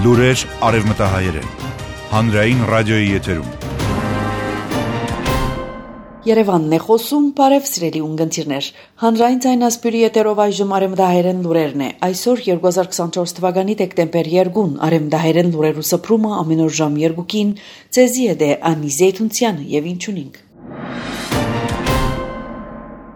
Լուրեր արևմտահայերեն, հանրային ռադիոյի եթերում։ Երևանն է խոսում, բարև սիրելի ունգընտիրներ։ Հանրային ձայնասպյուրի եթերով այժմ արևմտահայերեն լուրերն է։ Այսօր 2024 թվականի դեկտեմբեր 2-ն արևմտահայերեն լուրերու սփռումը ամեն օր ժամ 2-ին ցեզի է դե Անի Զեյթունցյանը եւ ինչունինք։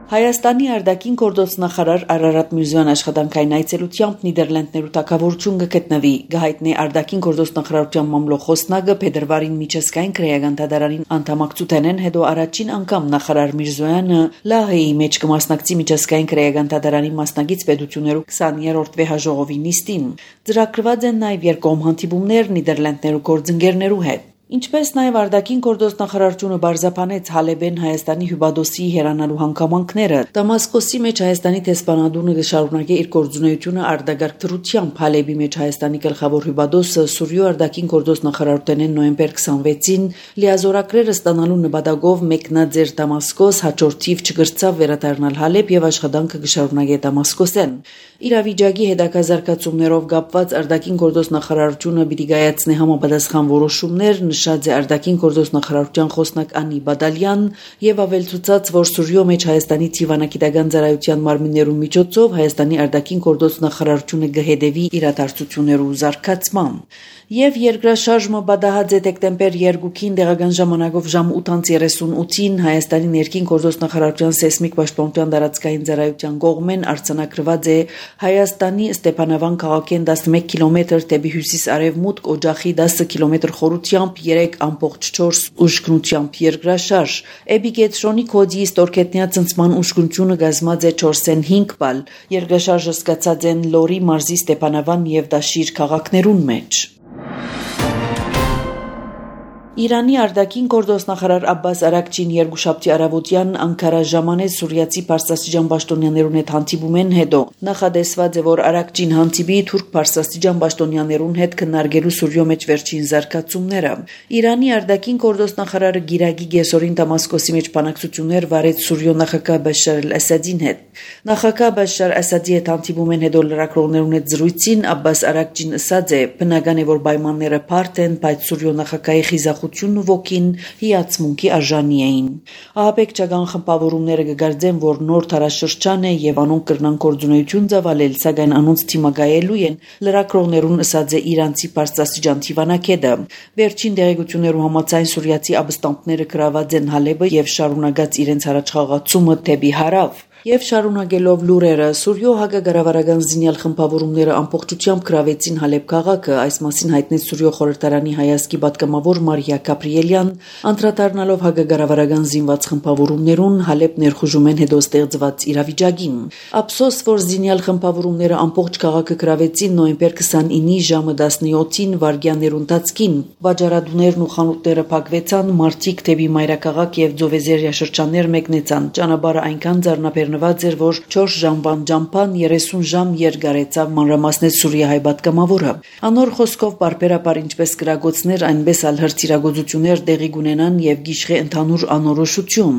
Հայաստանի արտաքին գործոստնախարար Արարատ Միրզոյան աշխատանքային այցելությամբ Նիդերլանդներու թագավորություն կգտնվի։ Գահիտնի արտաքին գործոստնախարարության մամլոխոսնագը փետրվարին միջազգային քրեական դատարանին անդամակցութենեն հետո առաջին անգամ նախարար Միրզոյանը Լահեի մեջ կմասնակցի միջազգային քրեական դատարանի մասնագետ պետություններու 20-րդ վեհաժողովի նիստին։ Ծրագրված են նաև երկկողմ հանդիպումներ Նիդերլանդներու գործընկերներու հետ։ Ինչպես նաև արտաքին գործոստնախարարությունը բարձրապանեց Հալեբեն Հայաստանի հյուբադոսի հերանալու հանգամանքները, Դամասկոսի մեջ Հայաստանի դեսպանատունը կշարունակի իր գործունեությունը արտագաղթ դրությամբ Հալեբի մեջ Հայաստանի գլխավոր հյուբադոսը Սուրիո արտաքին գործոստնախարարութենեն նոյեմբեր 26-ին լիազորակրերը ստանալու նպատակով մեկնաձեր Դամասկոս հաջորդիվ չգրծավ վերադառնալ Հալեբ եւ աշխատանքը կշարունակի Դամասկոսեն։ Իրավիճակի հետագազարգացումներով կապված արտաքին գործոստնախարարությունը պիտի կայացնի համապատասխան որոշումներ նշած է արտաքին գործոստնախարարության խոսնակ Անի Բադալյան եւ ավելցուցած, որ Սուրիո մեջ Հայաստանի Թիվանագիտական ծառայության մարմիններու միջոցով Հայաստանի արտաքին գործոստնախարարությունը կհետևի իրադարձություններու զարգացման։ Եվ երկրաշարժը բադահած է դեկտեմբեր 2-ին տեղական ժամանակով ժամ 8:38-ին Հայաստանի ներքին գործոստնախարարության սեյսմիկ պաշտպանության տարածքային ծառայության կողմեն արձանագրված է Հայաստանի Ստեփանավան քաղաքեն 11 կիլոմետր դեպի հյուսիս-արևմուտք օջախի 10 կիլոմետր խորությամբ 3.4 ուժգնությամբ երկրաշարժ։ Էպիկենտրոնի կոդի ստորգետնյա ծնծման ուժգնությունը կազմած է 4.5 բալ։ Երկրաշարժը սկսած են Լորի մարզի Ստեփանավան եւ Դաշիր քաղաքներուն մեջ։ Իրանի արտաքին գործոստնախարար Աբբաս Արաքչին երկուշաբթի առավոտյան Անկարա ժամանեց սուրիացի պարսաստիճան պաշտոնյաներուն հետ հանդիպումեն հետո նախադեсված է, որ Արաքչին հանդիպի թուրք պարսաստիճան պաշտոնյաներուն հետ քննարկելու Սուրիո մեջ վերջին զարգացումները։ Իրանի արտաքին գործոստնախարարը Գիրագի գեսորին Դամասկոսի մեջ բանակցություններ վարեց Սուրիո նախագահ Բաշար al-Ասադին հետ։ Նախագահ Բաշար Ասադի հետ հանդիպումեն հետո լրագրողներուն հետ զրույցին Աբբաս Արաքչին ասաց է, բնական է, որ պայմանները բարդ են, բայց Սուրիո նախագահի խիզախությունն ու ոգին հիացմունքի արժանի էին։ Ահաբեկչական խմբավորումները կգարձեն, որ նոր տարաշրջան է եւ անոնք կրնան գործունեություն ծավալել, սակայն անոնց թիմակայելու են լրագրողներուն ասաց է իրանցի պարսաստիճան Թիվանագետը։ Վերջին տեղեկություններու համաձայն սուրիացի աբստամբները գրաված են Հալեբը եւ շարունակած իրենց առաջխաղացումը դեպի հարավ։ Եվ շարունակելով լուրերը, Սուրիո հակակառավարական զինյալ խմբավորումները ամբողջությամբ գրավեցին Հալեբ քաղաքը, այս մասին հայտնեց Սուրիո խորհրդարանի հայազգի պատգամավոր Մարիա Գաբրիելյան, անդրադառնալով հակակառավարական զինված խմբավորումներուն Հալեբ ներխուժումեն հետո ստեղծված իրավիճակին։ Ափսոս, որ զինյալ խմբավորումները ամբողջ քաղաքը գրավեցին նոյեմբեր 29-ի ժամը 17-ին վարգյաններուն ընթացքին։ Բաժարադուներն ու խանութները փակվեցան, մարդիկ դեպի մայրաքաղաք եւ Ձովեզերիա շրջաններ մեկնեցան։ Ճանապարհը այնքան ձեռնաբերնված էր, որ 4 ժամվան ճամփան 30 ժամ երկարեցավ, մանրամասնեց Սուրիահայ պատգամավորը։ Անոր խոսքով բարբերաբար ինչպես գրագոցներ, այնպես ալ հրթիռագործություններ տեղի կունենան եւ գիշխե ընդհանուր անորոշություն։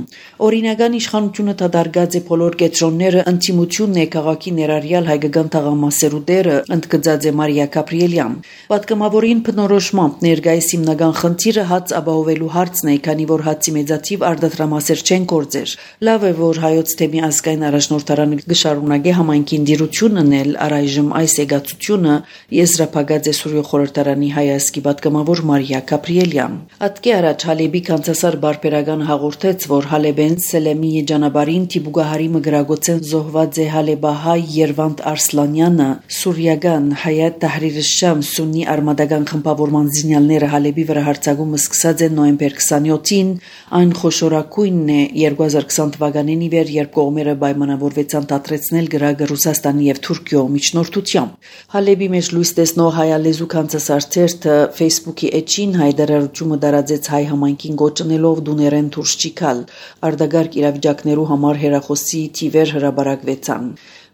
Օրինական իշխանությունը դադարգած է բոլոր կետրոնները, ընդդիմությունն է քաղաքի ներառյալ հայկական թաղամասերու դերը, ընդգծած է Մարիա Գաբրիելյան։ Պատգամավորին բնորոշմամբ ներկայիս հիմնական խնդիրը հաց ապահովելու հարցն է, քանի որ հացի մեծաթիվ արտադրամասեր չեն գործեր։ Լավ է, որ հայոց թեմի ազգային առաջնորդարանը կշարունակի համայնքին դիրություն անել, առայժմ այս եգացությունը եզրափակած է Սուրիո խորհրդարանի հայազգի պատգամավոր Մարիա Գաբրիելյան։ Ատկե առաջ Հալեբի կանցասար բարբերական հաղորդեց, որ Հալեբեն Սելեմի եջանաբարին Տիբուգահարի մգրագոցեն զոհված է Հալեբահայ Երվանդ Արսլանյանը, Սուրիական Հայաթ Թահրիր Շամ սուննի արմատական խմբավորման զինյալները Հալեբի վրա հարձակումը սկսած են նոյեմբեր 27-ին, այն խոշորագույնն է 2020 թվականին ի վեր, երբ կողմերը պայմանավորվեցան դադրեցնել գրագը Ռուսաստանի եւ Թուրքիո միջնորդությամբ։ Հալեբի մեջ լույս տեսնող հայալեզու կանցասարթերթը Facebook-ի էջին հայտարարությունը տարածեց հայ համայնքին գոչնելով դուներեն դուրս չիքալ։ Արտագարգ իրավիճակներու համար հերախոսի թիվեր հրաբարակվեցան։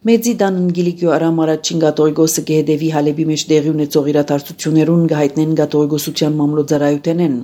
Մեծի դանն գիլիկյո արամ առաջին գատողիգոսը գեհդեվի հալեբի մեջ դեղի ունեցող իրադարձություններուն գահիտնեն գատողիգոսության մամլոձարայութենեն։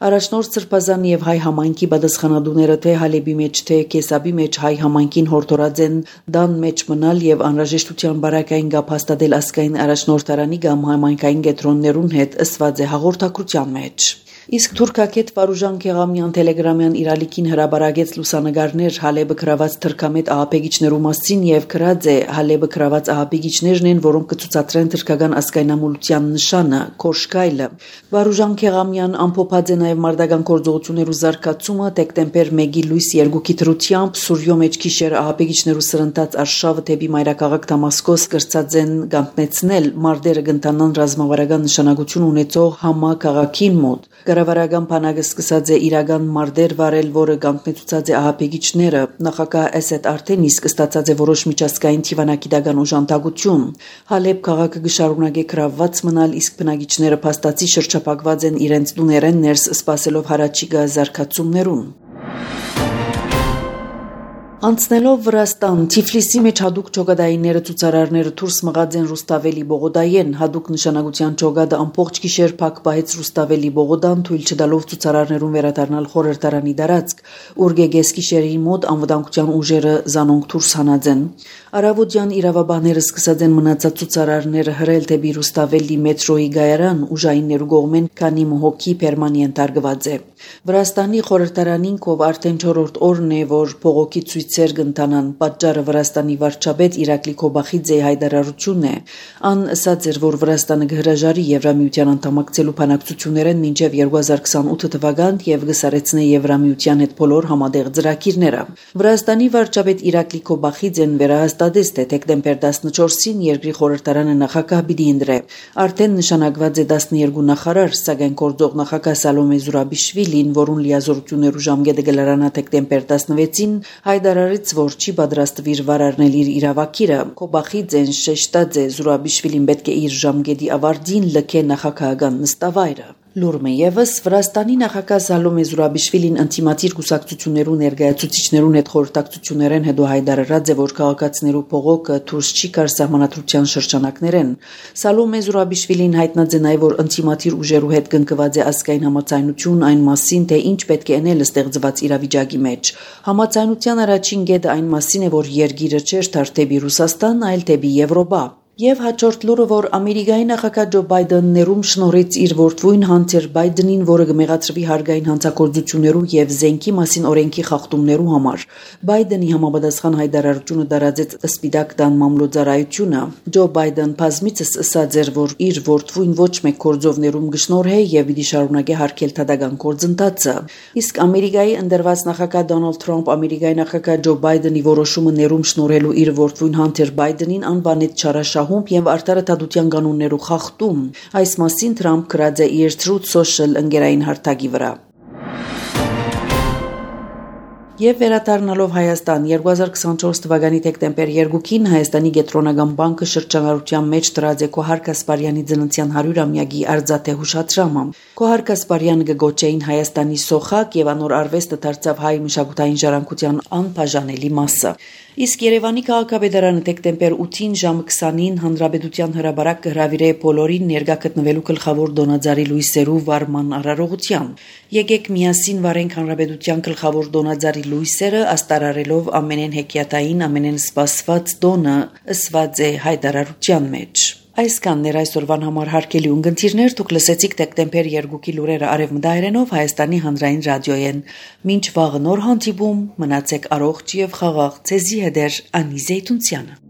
Առաջնորդ Սրբազան եւ հայ համայնքի պատասխանատուները թե հալեբի մեջ թե կեսաբի մեջ հայ համայնքին հորդորած են դան մեջ մնալ եւ անհրաժեշտության բարակային գապ հաստատել ասկային առաջնորդարանի կամ համայնքային կետրոններուն հետ ըսված է հաղորդակցության մեջ։ Իսկ թուրքակետ Վարուժան Քեղամյան տելեգրամյան իրալիքին հրաբարագեց լուսանգարներ Հալեբը գրաված թրքամետ ահապեգիչներու մասին եւ գրած է Հալեբը գրաված ահապեգիչներն են, որոնք կցուցադրեն թրքական ասկայնամոլության նշանը Կոշկայլը։ Վարուժան Քեղամյան ամփոփած է նաեւ մարդական գործողություններու զարգացումը դեկտեմբեր 1-ի լույս 2-ի դրությամբ Սուրյո մեջ գիշեր ահապեգիչներու սրընթաց արշավը դեպի մայրաքաղաք Դամասկոս կրծած են գանտնեցնել մարդերը գնտանան ռազմավարական նշանակություն ունեցող համա քաղաքին մոտ։ Կառավարական բանակը սկսած է իրական մարդեր վարել, որը գանտնեցուցած է ահապեգիչները։ Նախագահ Ասեդ արդեն իսկ ստացած է որոշ միջազգային թիվանակիտական օժանդակություն։ Հալեբ քաղաքը գշարունակե գրավված մնալ, իսկ բնակիչները փաստացի շրջափակված են իրենց տուներեն ներս սպասելով հարաճիգա զարգացումներուն։ Անցնելով Վրաստան, Թիֆլիսի մեջ հadouk ճոգադայինները ցուցարարները դուրս մղած են Ռուստավելի Բողոդայեն, հadouk նշանակության ճոգադը ամբողջ գիշեր փակ պահեց Ռուստավելի Բողոդան, թույլ չտալով ցուցարարներուն վերադառնալ խորհրդարանի դարածք, ուր գեգես գիշերի մոտ անվտանգության ուժերը զանոնք դուրս հանած են։ Արավոտյան իրավաբանները սկսած են մնացած ցուցարարները հրել դեպի Ռուստավելի մետրոյի գայարան, ուժայիններու կողմեն քանի մհոկի պերմանենտ արգված է։ Վրաստանի խորհրդարանին կով արդեն 4-րդ օրն է, որ փողոքի ցույցեր կընթանան, պատճառը Վրաստանի վարչապետ Իրակլի Քոբախիձեի հայտարարությունն է։ Ան ասաց էր, որ Վրաստանը կհրաժարի Եվրամիության անդամակցելու բանակցություններեն մինչև 2028 թվական եւ կսարեցնե Եվրամիության հետ բոլոր համատեղ ծրագիրները։ Վրաստանի վարչապետ Իրակլի Քոբախիձեն վերահաստատեց, թե դեկտեմբեր 14-ին երկրի խորհրդարանը նախագահ պիտի ընտրե։ Արդեն նշանակված է 12 նախարար, սակայն գործող նախագահ Սալոմե Զուրաբիշվիլին, որուն լիազորություններու ժամկետը կլարանա դեկտեմբեր 16-ին, հայտարարեց, որ չի պատրաստվիր վարարնել իր իրավակիրը։ Քոբախիձեն շեշտած է, Զուրաբիշվիլին պետք է իր ժամկետի ավարտին լքե նախագահական նստավայրը։ Լուրմը եւս Վրաստանի նախագահ Սալոմե Զուրաբիշվիլին անտիմատիր կուսակցություններու ներկայացուցիչներուն հետ խորհրդակցություններեն հետո հայտարարած է, որ քաղաքացիներու փողոքը դուրս չի գար սահմանադրության շրջանակներեն։ Սալոմե Զուրաբիշվիլին հայտնած է նաեւ, որ անտիմատիր ուժերու հետ կնկված է ազգային համաձայնություն այն մասին, թե ինչ պետք է անել ստեղծված իրավիճակի մեջ։ Համաձայնության առաջին կետը այն մասին է, որ երկիրը չէր դարձի Ռուսաստան, այլ դեպի Եվրոպա։ Եվ հաջորդ լուրը, որ Ամերիկայի նախագահ Ջո Բայդենն ներում շնորհեց իր որդվույն Հանթեր Բայդենին, որը կմեղադրվի հարգային հանցագործություններու եւ զենքի մասին օրենքի խախտումներու համար։ Բայդենի համապատասխան հայտարարությունը դարածեց Սպիտակ տան մամլոձարայությունը։ Ջո Բայդեն բազմիցս ասաց էր, որ իր որդվույն ոչ մեկ գործովներում կշնորհե եւ պիտի շարունակե հարգել դատական գործընթացը։ Իսկ Ամերիկայի ընդերված նախագահ Դոնալդ Թրամփ Ամերիկայի նախագահ Ջո Բայդենի որոշումը ներում շնորհելու իր որդվույն Հանթեր Բայդենին անվանեց չարաշահ եւ արտարադատության կանոններու խախտում։ Այս մասին Թրամփ գրած է իր Truth Social ընկերային հարթակի վրա։ Եվ վերադառնալով Հայաստան 2024 թվականի դեկտեմբեր 2-ին Հայաստանի Կենտրոնական բանկը շրջանառության մեջ դրած է Քոհար Կասպարյանի ծննդյան 100-ամյակի արձատե հուշադրամը։ Քոհար Կասպարյանը կգոչեին Հայաստանի սոխակ եւ անոր արվեստը դարձավ հայ մշակութային ժառանգության անբաժանելի մասը։ Իսկ Երևանի քաղաքապետարանը դեկտեմբեր 8-ին ժամը 20-ին հանրապետության հրապարակ կհրավիրե բոլորին ներկա գտնվելու գլխավոր դոնաձարի լույսերու վարման արարողության։ Եկեք միասին վարենք հանրապետության գլխավոր դոնաձարի լույսերը, աստարարելով ամենեն հեքիաթային, ամենեն սպասված դոնը, ըսված է հայտարարության մեջ։ Այսքանն էր այսօրվան համար հարգելի ունգընտիրներ, դուք լսեցիք դեկտեմբեր 2-ի լուրերը արևմտահայերենով Հայաստանի հանրային ռադիոյեն։ Մինչ վաղը նոր հանդիպում, մնացեք առողջ եւ խաղաղ, ձեզի հետ Անի Զեյթունցյանը։